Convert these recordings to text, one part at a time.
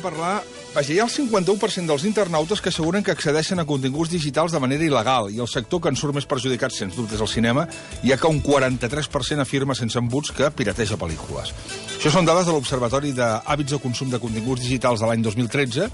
parlar... Vaja, hi ha el 51% dels internautes que asseguren que accedeixen a continguts digitals de manera il·legal, i el sector que en surt més perjudicat, sens dubte, és el cinema, ja que un 43% afirma sense embuts que pirateja pel·lícules. Això són dades de l'Observatori d'Hàbits de Consum de Continguts Digitals de l'any 2013.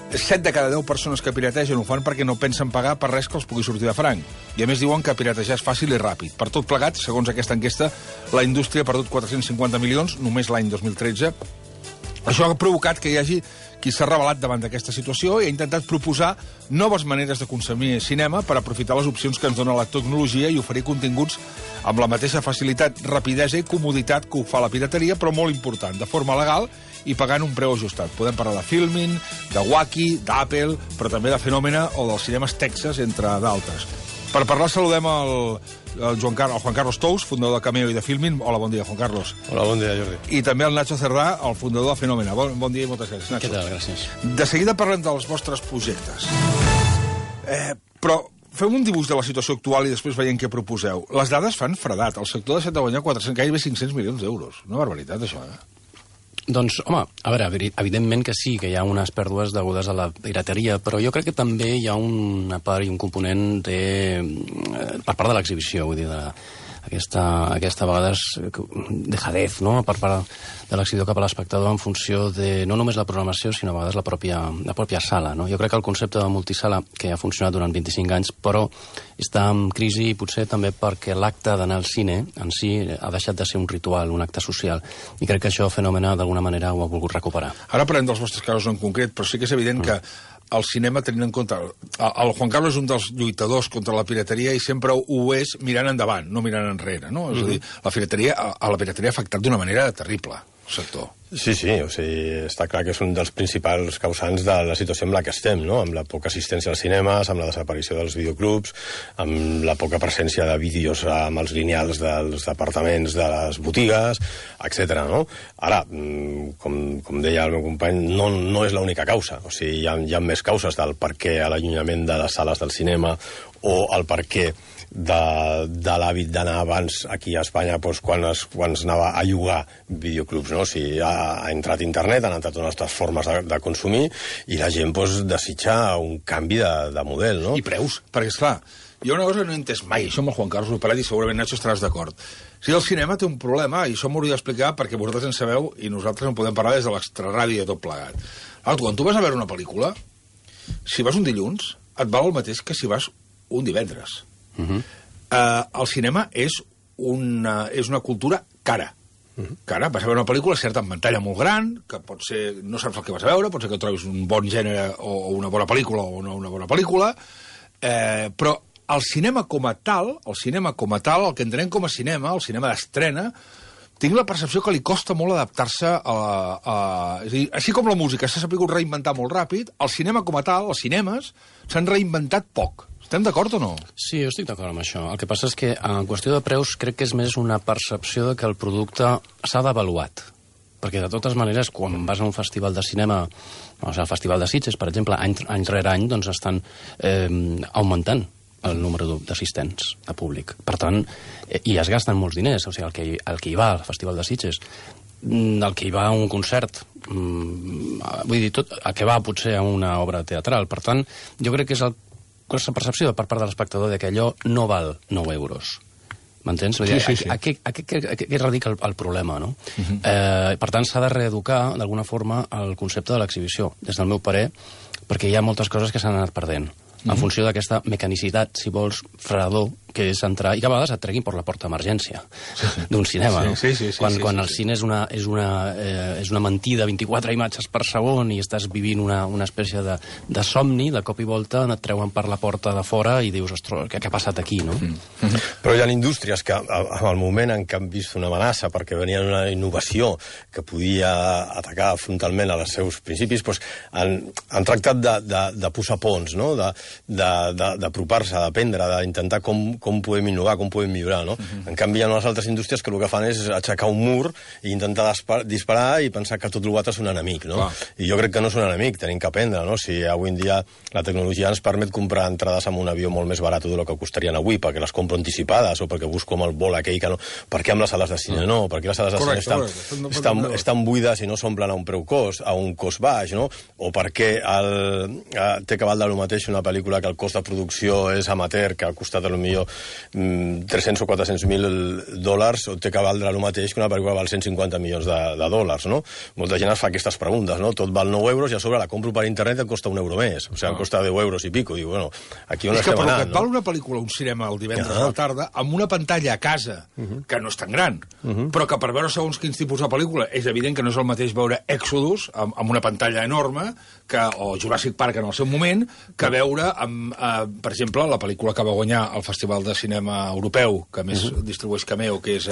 7 de cada 10 persones que pirategen ho fan perquè no pensen pagar per res que els pugui sortir de franc. I a més diuen que piratejar és fàcil i ràpid. Per tot plegat, segons aquesta enquesta, la indústria ha perdut 450 milions només l'any 2013. Això ha provocat que hi hagi qui s'ha rebel·lat davant d'aquesta situació i ha intentat proposar noves maneres de consumir cinema per aprofitar les opcions que ens dona la tecnologia i oferir continguts amb la mateixa facilitat, rapidesa i comoditat que ho fa la pirateria, però molt important, de forma legal i pagant un preu ajustat. Podem parlar de Filmin, de Wacky, d'Apple, però també de Fenòmena o dels cinemes Texas, entre d'altres. Per parlar saludem el Juan Carlos Tous, fundador de Cameo i de Filmin. Hola, bon dia, Juan Carlos. Hola, bon dia, Jordi. I també el Nacho Cerdà, el fundador de Fenòmena. Bon dia i moltes gràcies, Nacho. Què tal? Gràcies. De seguida parlem dels vostres projectes. Però fem un dibuix de la situació actual i després veiem què proposeu. Les dades fan fredat. El sector ha deixat de guanyar gairebé 500 milions d'euros. Una barbaritat, això, Doncs, home, a veure, evidentment que sí, que hi ha unes pèrdues degudes a la pirateria, però jo crec que també hi ha una part i un component per part de l'exhibició, vull dir, aquesta a vegades dejadez, no?, per part de l'exhibidor cap a l'espectador en funció de no només la programació, sinó a vegades la pròpia sala, no? Jo crec que el concepte de multisala, que ha funcionat durant 25 anys, però està en crisi potser també perquè l'acte d'anar al cine en si ha deixat de ser un ritual, un acte social, i crec que això Fenòmena d'alguna manera ho ha volgut recuperar. Ara parlem dels vostres casos en concret, però sí que és evident que el cinema, tenint en compte... El Juan Carlos és un dels lluitadors contra la pirateria i sempre ho és mirant endavant, no mirant enrere, no? És a dir, la pirateria ha afectat d'una manera terrible el sector. Sí, o sigui, està clar que és un dels principals causants de la situació en la que estem, no? Amb la poca assistència als cinemes, amb la desaparició dels videoclubs, amb la poca presència de vídeos amb els lineals dels departaments de les botigues, etc. no? Ara, com deia el meu company, no és l'única causa. O sigui, hi ha més causes del per què l'allunyament de les sales del cinema o el per què de l'hàbit d'anar abans aquí a Espanya quan es anava a llogar videoclubs, no? O sigui, ha entrat internet, han entrat unes altres formes de consumir i la gent desitja un canvi de model, no? I preus, perquè esclar, hi ha una cosa que no he entès mai, això amb el Juan Carlos ho he parlat i segurament Nacho estaràs d'acord. Si el cinema té un problema, i això m'hauria d'explicar perquè vosaltres en sabeu i nosaltres en podem parlar des de l'extraràdio i tot plegat. Quan tu vas a veure una pel·lícula, si vas un dilluns, et val el mateix que si vas un divendres. El cinema és una cultura cara. Cara, vas a veure una pel·lícula certa en pantalla molt gran, que pot ser, no saps el que vas a veure, pot ser que trobis un bon gènere o una bona pel·lícula o no una bona pel·lícula, però el cinema com a tal, el que entenem com a cinema, el cinema d'estrena, tinc la percepció que li costa molt adaptar-se és a dir, així com la música s'ha sabut reinventar molt ràpid, el cinema com a tal, els cinemes, s'han reinventat poc. Estem d'acord o no? Sí, jo estic d'acord amb això. El que passa és que en qüestió de preus crec que és més una percepció de que el producte s'ha devaluat. Perquè de totes maneres, quan vas a un festival de cinema, o sigui, el Festival de Sitges, per exemple, any rere any, doncs estan augmentant el número d'assistents a públic. Per tant, i es gasten molts diners. O sigui, el que hi va al Festival de Sitges, el que hi va a un concert, vull dir, tot el que va potser a una obra teatral. Per tant, jo crec que és aquesta percepció per part de l'espectador de que allò no val 9 euros. M'entens? Sí. A què radica el problema, no? Per tant, s'ha de reeducar, d'alguna forma, el concepte de l'exhibició, des del meu parer, perquè hi ha moltes coses que s'han anat perdent. En funció d'aquesta mecanicitat, si vols, fredor, que és entrar, i que a vegades et treguin per la porta d'emergència d'un cinema, no? Quan el cine és una mentida, 24 imatges per segon, i estàs vivint una espècie de somni, de cop i volta et treuen per la porta de fora i dius, ostres, què ha passat aquí, no? Però hi ha indústries que, en el moment en què han vist una amenaça perquè venia una innovació que podia atacar frontalment als seus principis, han tractat de posar ponts, no? D'apropar-se, d'aprendre, d'intentar com com podem innovar, com podem millorar, no? En canvi, hi ha unes altres indústries que el que fan és aixecar un mur i intentar disparar i pensar que tot l'altre és un enemic, no? I jo crec que no és un enemic, tenim que aprendre, no? Si avui en dia la tecnologia ens permet comprar entrades amb un avió molt més barat del que costarien avui, perquè les compro anticipades o perquè busco amb el vol aquell que no... Per què amb les sales de cine no? Per què les sales de cine estan buides i no s'omplen a un preu cost, a un cost baix, no? O per què té que valdre el mateix una pel·lícula que el cost de producció és amateur, que ha costat potser 300 o 400.000 dòlars, o té que valdre el mateix que una pel·lícula val 150 milions de dòlars, no? Molta gent es fa aquestes preguntes, no? Tot val 9 euros i a sobre la compro per internet i em costa 1 euro més. O sigui, em costa 10 euros i pico. Diu, bueno, aquí on estem anant, no? És que per que val una pel·lícula, un cinema el divendres a la tarda, amb una pantalla a casa, que no és tan gran, però que per veure segons quins tipus de pel·lícula és evident que no és el mateix veure Exodus amb una pantalla enorme o Jurassic Park en el seu moment, que veure, per exemple, la pel·lícula que va guanyar el Festival de Cinema Europeu, que més distribueix Cameo, que és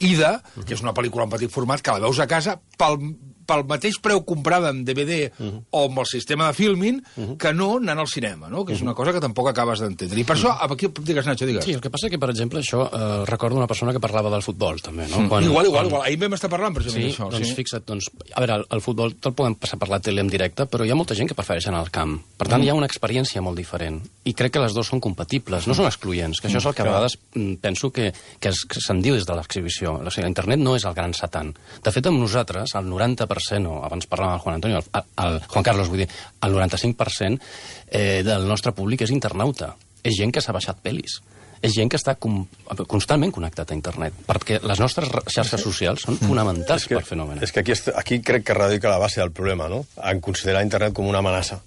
Ida, que és una pel·lícula en petit format, que la veus a casa pel mateix preu comprada en DVD o amb el sistema de filming que no anant al cinema, no? Que és una cosa que tampoc acabes d'entendre. I per això, aquí digues, Nacho, digues. Sí, el que passa que, per exemple, això recordo una persona que parlava del futbol, també, no? Igual. Ahir vam estar parlant precisament d'això. Doncs fixa't, a veure, el futbol te'l podem passar per la tele en directe, però hi ha molta gent que prefereix anar al camp. Per tant, hi ha una experiència molt diferent. I crec que les dues són compatibles, no són excloents, que això és el que a vegades penso que se'n diu des de l'exhibició. O sigui, internet no és el gran satan. De fet, amb nosaltres, el 90%, o abans parlàvem amb el Juan Antonio, el Juan Carlos, vull dir, el 95% del nostre públic és internauta. És gent que s'ha baixat pel·lis. És gent que està constantment connectat a internet, perquè les nostres xarxes socials són fonamentals per fenòmenes. És que aquí crec que radica la base del problema, no? En considerar internet com una amenaça,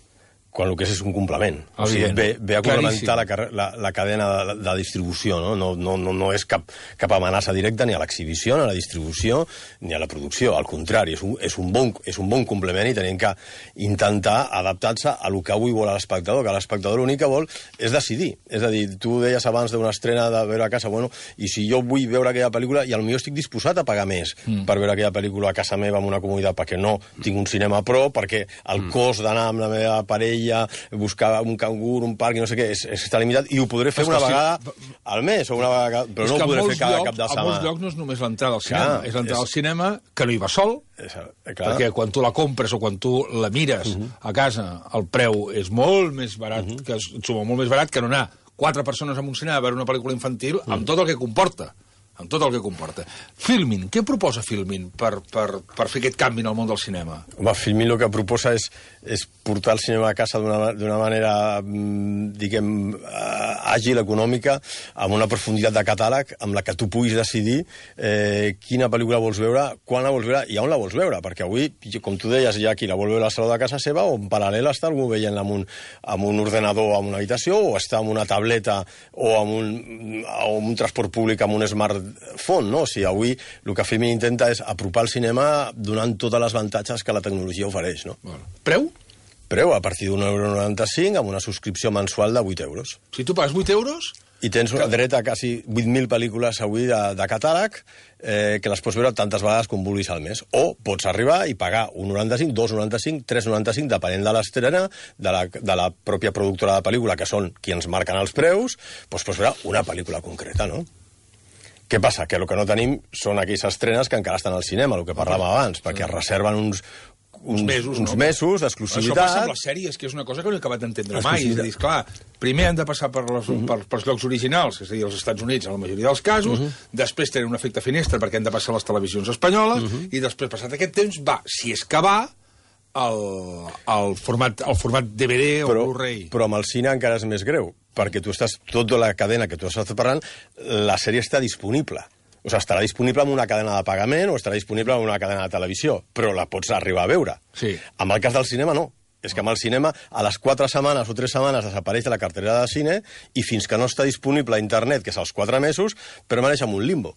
quan el que és un complement. O sigui, ve a complementar la cadena de distribució, no? No és cap amenaça directa ni a l'exhibició, ni a la distribució, ni a la producció. Al contrari, és un bon complement i tenim que intentar adaptar-se a lo que avui vol l'espectador, que l'espectador l'únic que vol és decidir. És a dir, tu deies abans d'una estrena de veure a casa, bueno, i si jo vull veure aquella pel·lícula, i potser estic disposat a pagar més per veure aquella pel·lícula a casa meva amb una comoditat, perquè no tinc un cinema a prop, perquè el cost d'anar amb la meva parella, buscar un cangur, un parc, i no sé què, està limitat, i ho podré fer una vegada al mes, o una vegada, però no ho podré fer cada cap de setmana. A molts llocs no és només l'entrada al cinema, és l'entrada al cinema que no hi va sol, perquè quan tu la compres o quan tu la mires a casa, el preu és molt més barat, que suma molt més barat que no anar 4 persones a un cinema a veure una pel·lícula infantil amb tot el que comporta. Amb tot el que comporta. Filmin, què proposa Filmin per fer aquest canvi en el món del cinema? Home, Filmin el que proposa és portar el cinema a casa d'una manera, diguem, àgil, econòmica, amb una profunditat de catàleg, amb la que tu puguis decidir quina pel·lícula vols veure, quan la vols veure i on la vols veure, perquè avui, com tu deies, hi ha qui la vol veure a la sala de casa seva, o en paral·lel està algú veient amb un ordenador a una habitació, o està amb una tableta o amb un transport públic amb un smartphone, no? O sigui, avui el que Filmin intenta és apropar el cinema donant totes les avantatges que la tecnologia ofereix, no? Preu? Preu a partir d'1,95 € amb una subscripció mensual de 8 euros. Si tu pagues 8 euros... I tens dret a quasi 8.000 pel·lícules avui de catàleg que les pots veure tantes vegades com vulguis al mes. O pots arribar i pagar 1,95, 2,95, 3,95, depenent de l'estrena, de la pròpia productora de pel·lícula, que són qui ens marquen els preus, doncs pots veure una pel·lícula concreta, no? Què passa? Que el que no tenim són aquelles estrenes que encara estan al cinema, el que parlàvem abans, perquè es reserven uns mesos d'exclusivitat. Això passa amb les sèries, que és una cosa que no he acabat d'entendre mai. És a dir, clar, primer han de passar pels llocs originals, és a dir, als Estats Units, en la majoria dels casos, després tenen un efecte finestra perquè han de passar a les televisions espanyoles, i després, passat aquest temps, si és que va, el format DVD o Blu-ray. Però amb el cine encara és més greu, perquè tota la cadena que tu estàs parlant, la sèrie està disponible. O sigui, estarà disponible en una cadena de pagament o estarà disponible en una cadena de televisió, però la pots arribar a veure. Sí. Amb el cas del cinema, no. És que amb el cinema, a les 4 setmanes o 3 setmanes desapareix de la cartera de cine i fins que no està disponible a internet, que és als 4 mesos, permaneix en un limbo,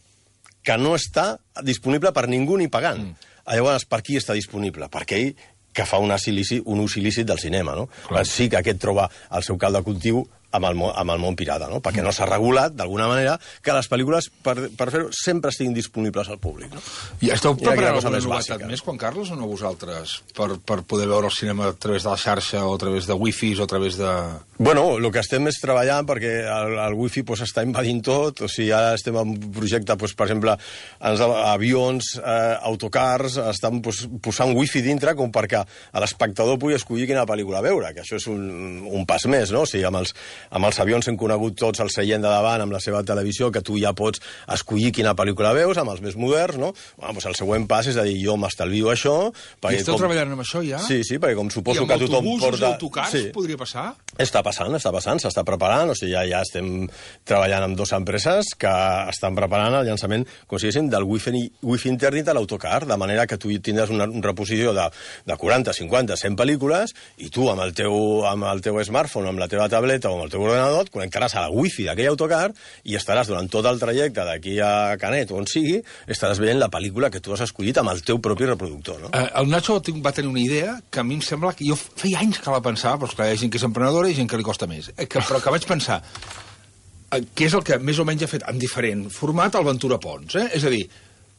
que no està disponible per ningú ni pagant. Llavors, per qui està disponible? Per aquell que fa un ús il·lícit del cinema, no? Sí que aquest troba el seu calt de cultiu amb el món pirata, no? Perquè no s'ha regulat, d'alguna manera, que les pel·lícules, per fer-ho, sempre estiguin disponibles al públic. No? I esteu preparant alguna novetat més, Juan Carlos, o no vosaltres? Per poder veure el cinema a través de la xarxa, o a través de wifi, o a través de... Bueno, el que estem és treballant perquè el wifi està invadint tot, o sigui, ara estem en un projecte, per exemple, avions, autocars, estan posant wifi dintre com perquè l'espectador pugui escollir quina pel·lícula veure, que això és un pas més, no? O sigui, amb els avions hem conegut tots el seient de davant amb la seva televisió, que tu ja pots escollir quina pel·lícula veus, amb els més moderns, no? Bueno, doncs el següent pas és a dir, jo m'estalvio això... I esteu treballant amb això ja? Sí, perquè com suposo que tothom porta... I amb autobusos i autocars podria passar? Està passant, s'està preparant, o sigui, ja estem treballant amb 2 empreses que estan preparant el llançament, com si diguéssim, del wifi internet a l'autocar, de manera que tu tindràs una reposició de 40, 50, 100 pel·lícules, i tu amb el teu smartphone, amb la teva tableta o amb el teu ordenador, et connectaràs a la wifi d'aquell autocar i estaràs durant tot el trajecte d'aquí a Canet o on sigui, estaràs veient la pel·lícula que tu has escollit amb el teu propi reproductor, no? El Nacho va tenir una idea que a mi em sembla que jo feia anys que la pensava, però esclar, hi ha gent que és emprenedora i gent que li costa més, però que vaig pensar que és el que més o menys ha fet en diferent format el Ventura Pons, és a dir,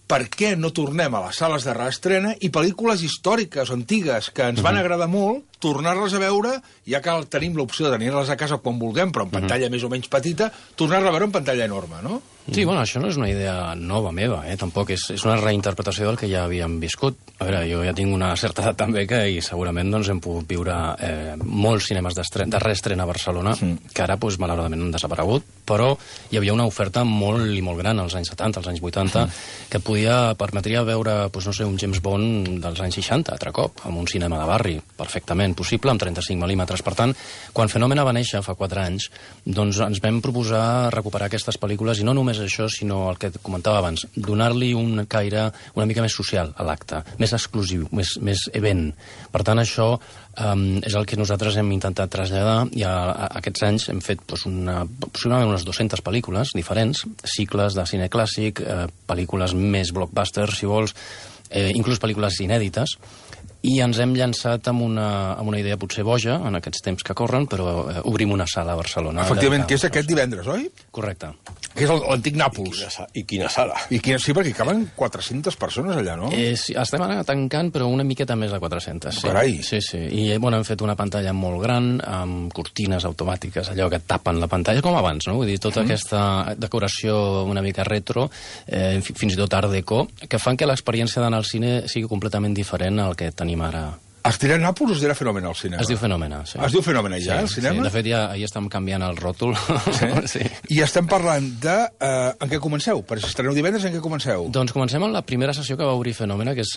per què no tornem a les sales de reestrena i pel·lícules històriques, antigues, que ens van agradar molt, tornar-les a veure, ja que tenim l'opció de tenir-les a casa quan vulguem, però en pantalla més o menys petita, tornar-la a veure en pantalla enorme, no? Sí, bueno, això no és una idea nova meva, tampoc és una reinterpretació del que ja havíem viscut. A veure, jo ja tinc una certa edat també i segurament doncs, hem pogut viure molts cinemes de reestrena a Barcelona, que ara, doncs, malauradament, han desaparegut, però hi havia una oferta molt i molt gran als anys 70, als anys 80, que permetria veure, doncs, no sé, un James Bond dels anys 60, altre cop, en un cinema de barri, perfectament possible, amb 35 mil·límetres. Per tant, quan Fenòmena va néixer fa 4 anys, doncs ens vam proposar recuperar aquestes pel·lícules, i no només això, sinó el que et comentava abans, donar-li un caire una mica més social a l'acte, més exclusiu, més event. Per tant, això és el que nosaltres hem intentat traslladar, i aquests anys hem fet aproximadament unes 200 pel·lícules diferents, cicles de cine clàssic, pel·lícules més blockbusters, si vols, inclús pel·lícules inèdites, i ens hem llançat amb una idea potser boja, en aquests temps que corren, però obrim una sala a Barcelona. Efectivament, que és aquest divendres, oi? Correcte. Que és l'antic Nàpols. I quina sala. Sí, perquè hi caben 400 persones allà, no? Estem ara tancant, però una miqueta més de 400. Sí. Carai. Sí. I hem fet una pantalla molt gran, amb cortines automàtiques, allò que tapen la pantalla, com abans, no? Vull dir, tota aquesta decoració una mica retro, fins i tot art déco, que fan que l'experiència d'anar al cine sigui completament diferent al que tenim ara. Es dirà Nàpols o es dirà Fenòmena al cinema? Es diu Fenòmena, sí. Es diu Fenòmena ja, al cinema? Sí, de fet, ja ahir estem canviant el ròtol. Sí? I estem parlant de... en què comenceu? Per si estreneu divendres, en què comenceu? Doncs comencem amb la primera sessió que va obrir Fenòmena, que és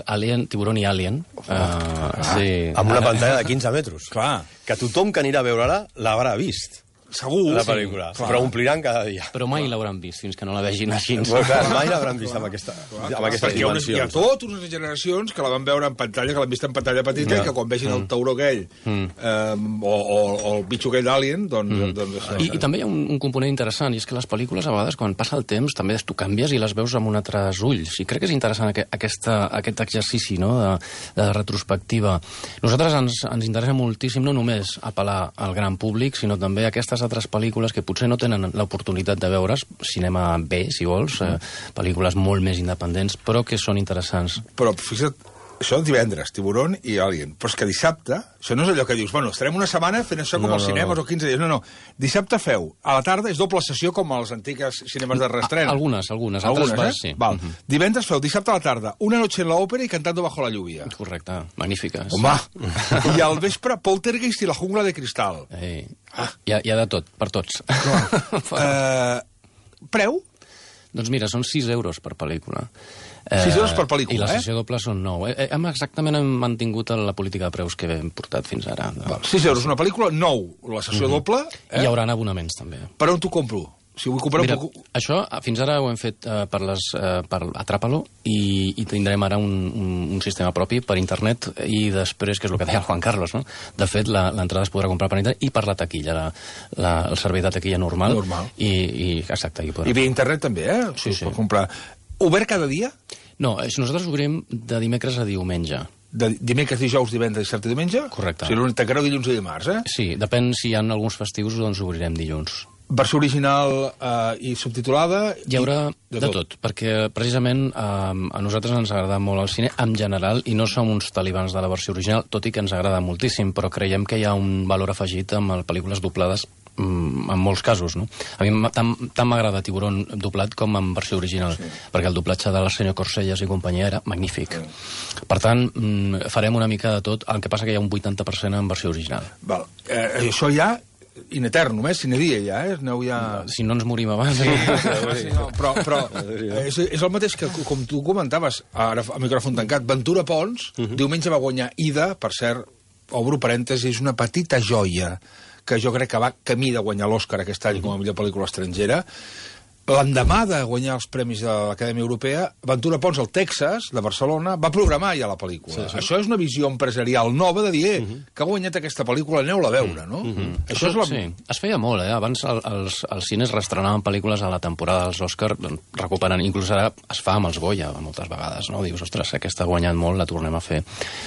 Tiburón i Alien. Sí. Amb una pantalla de 15 metres. Clar. Que tothom que anirà a veure-la l'haurà vist. Segur. La pel·lícula. Sí, però ompliran cada dia. Però mai l'hauran vist, fins que no la vegin així. Però clar, mai l'hauran vist amb aquestes dimensions. Hi ha totes unes generacions que la van veure en pantalla, que l'han vist en pantalla petita, i que quan vegin el tauró aquell o el bitxo aquell d'Alien, doncs... I també hi ha un component interessant, i és que les pel·lícules, a vegades, quan passa el temps, també tu canvies i les veus amb un altres ulls. I crec que és interessant aquest exercici, no?, de retrospectiva. Nosaltres ens interessa moltíssim no només apel·lar al gran públic, sinó també a aquestes altres pel·lícules que potser no tenen l'oportunitat de veure's, cinema B, si vols, pel·lícules molt més independents, però que són interessants. Però, fixa't, això divendres, Tiburón i Alien, però és que dissabte, això no és allò que dius, bueno, estarem una setmana fent això com als cinemes o 15 dies, no, dissabte feu, a la tarda és doble sessió com als antics cinemes de reestrena. Algunes, altres sí. Val. Divendres feu, dissabte a la tarda, Una noche en la ópera i Cantando bajo la lluvia. Correcte, magnífiques. Home, i al vespre, Poltergeist i la jungla de cristal. Hi ha de tot, per tots. Preu? Doncs mira, són 6 euros per pel·lícula. 6 euros per pel·lícula, I la sessió doble són 9. Exactament hem mantingut la política de preus que hem portat fins ara. 6 euros una pel·lícula, 9 la sessió doble. Hi haurà abonaments, també. Per on t'ho compro? Si vull comprar això fins ara ho hem fet per Atrapa-lo i tindrem ara un sistema propi per internet i després, que és el que deia el Juan Carlos, no? De fet, l'entrada es podrà comprar per internet i per la taquilla, el servei de taquilla normal. Exacte. I via internet també, Sí. Per comprar. Obert cada dia? No, nosaltres obrim de dimecres a diumenge. de dimecres, dijous, divendres, dissabte i diumenge? Correcte. O sigui, tancareu dilluns i dimarts, eh? Sí, depèn si hi ha alguns festius, doncs obrirem dilluns. Versió original i subtitulada? Hi haurà de tot, perquè precisament a nosaltres ens agrada molt el cine en general i no som uns talibans de la versió original, tot i que ens agrada moltíssim, però creiem que hi ha un valor afegit amb les pel·lícules doblades en molts casos, no? A mi tant m'agrada Tiburón doblat com en versió original, perquè el doblatge del senyor Corsellas i companyia era magnífic. Per tant, farem una mica de tot, el que passa que hi ha un 80% en versió original. Val. Això ja in eternum, sine dia ja, aneu ja... Si no ens morim abans... Sí, no, però és el mateix que, com tu comentaves, ara a micròfon tancat, Ventura Pons, diumenge va guanyar Ida, per cert, obro parèntesi, és una petita joia que jo crec que va camí de guanyar l'Oscar aquest any com a millor pel·lícula estrangera. L'endemà de guanyar els premis de l'Acadèmia Europea, Ventura Pons, al Texas, de Barcelona, va programar ja la pel·lícula. Sí. Això és una visió empresarial nova de dir que ha guanyat aquesta pel·lícula, aneu-la a veure, no? Això és la... Sí, es feia molt, Abans els cines restrenaven pel·lícules a la temporada dels Òscar, recuperant, inclús ara es fa amb els Goya, moltes vegades, no? Dius, ostres, aquesta ha guanyat molt, la tornem a fer.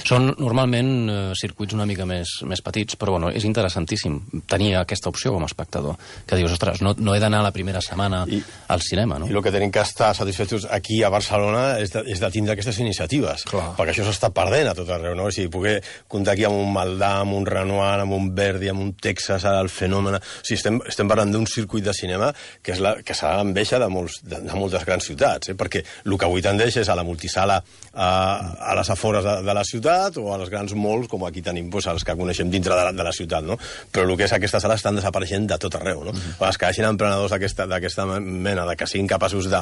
Són normalment circuits una mica més petits, però bueno, és interessantíssim tenir aquesta opció com a espectador, que dius, ostres, no he d'anar la primera setmana al cinema, no? I el que tenim que estar satisfets aquí a Barcelona és de tindre aquestes iniciatives. Clar. Perquè això s'està perdent a tot arreu, no? O sigui, poder comptar aquí amb un Maldà, amb un Renoir, amb un Verdi, amb un Texas, el Fenomen... O sigui, estem parlant d'un circuit de cinema que serà l'enveja de moltes grans ciutats, perquè el que avui tendeix és a la multisala a les afores de la ciutat o a les grans malls, com aquí tenim els que coneixem dintre de la ciutat, no? Però el que és aquestes sales estan desapareixent de tot arreu, no? Els que hagin emprenedors d'aquesta mena de que siguin capaços de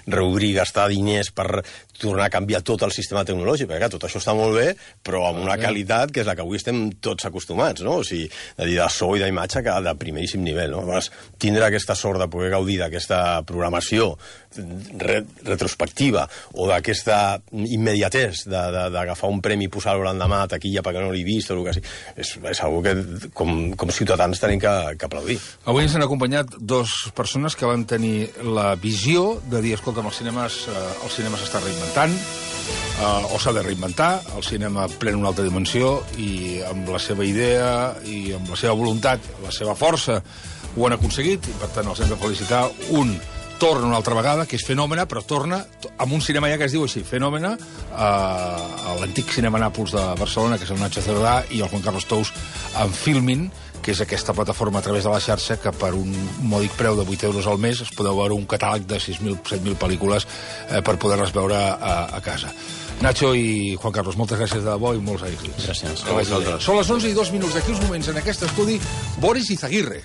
reobrir, gastar diners per tornar a canviar tot el sistema tecnològic, perquè tot això està molt bé, però amb una qualitat que és la que avui estem tots acostumats, no? O sigui, de so i d'imatge que de primeríssim nivell, no? Llavors, tindre aquesta sort de poder gaudir d'aquesta programació retrospectiva o d'aquesta immediatesa d'agafar un premi i posar-lo l'endemà a taquilla perquè no l'he vist o el que sigui, és algo que com ciutadans tenim que aplaudir. Avui ens han acompanyat dues persones que van tenir la visió de dir, escolta'm, el cinema s'està reinventant, o s'ha de reinventar, el cinema pren una altra dimensió i amb la seva idea i amb la seva voluntat, la seva força, ho han aconseguit i per tant els hem de felicitar. Un torna una altra vegada, que és Fenòmena, però torna amb un cinema ja que es diu així, Fenòmena, a l'antic Cinema Nàpols de Barcelona, que és el Nacho Cerdà, i el Juan Carlos Tous amb Filmin, que és aquesta plataforma a través de la xarxa que per un mòdic preu de 8 euros al mes es podeu veure un catàleg de 6.000, 7.000 pel·lícules per poder-les veure a casa. Nacho i Juan Carlos, moltes gràcies de debò i molts èxits. Gràcies. Són les 11:02. D'aquí uns moments en aquest estudi, Boris Izaguirre.